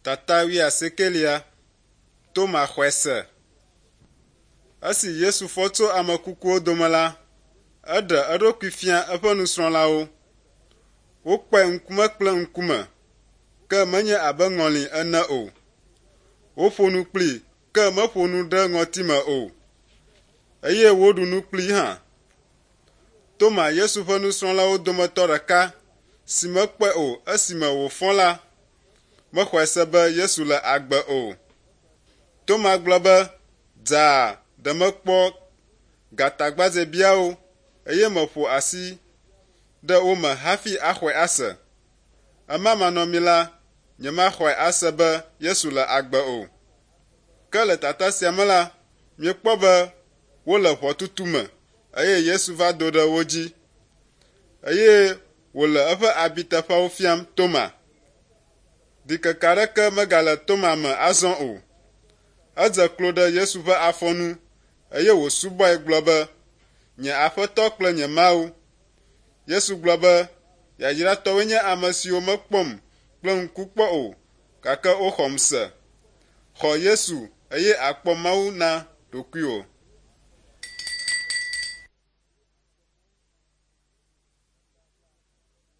Tata wuiasiekelia, Toma xɔe se. Esi Yesu fɔ tso ame kukuwo dome la, eɖe eɖokui fia eƒe nusrɔ̃lawo. Wokpɔe ŋkume kple ŋkume, ke menye abe ŋɔli ene o. Woƒo nu kplii, ke meƒo nu ɖe ŋɔtime o, eye woɖu nu kplii hã. Toma, Yesu ƒe nusrɔ̃lawo dometɔ ɖeka si mekpɔe o esime wòfɔ la, mexɔe se be Yesu le agbe o. Toma gblɔ be, Dzaa ɖe mekpɔ gatagbadzɛbiawo eye meƒo asi ɖe wo me hafi axɔe ase. Ema manɔmee la, nyemaxɔe ase be Yesu le agbe o. Ke le tata sia me la, míekpɔ be wole ʋɔtutu me eye Yesu va do ɖe wo dzi eye wòle eƒe abiteƒeawo fiam Toma. Ɖikeke aɖeke megale Toma me azɔ o. Edze klo ɖe Yesu ƒe afɔ nu eye wòsubɔe gblɔ be, Nye Aƒetɔ kple nye Mawu. Yesu gblɔ be, Yayratɔwoe nye ame siwo mekpɔm kple ŋku kpɔ o, gake woxɔm se. Xɔ Yesu eye àkpɔ Mawu na ɖokuiwò.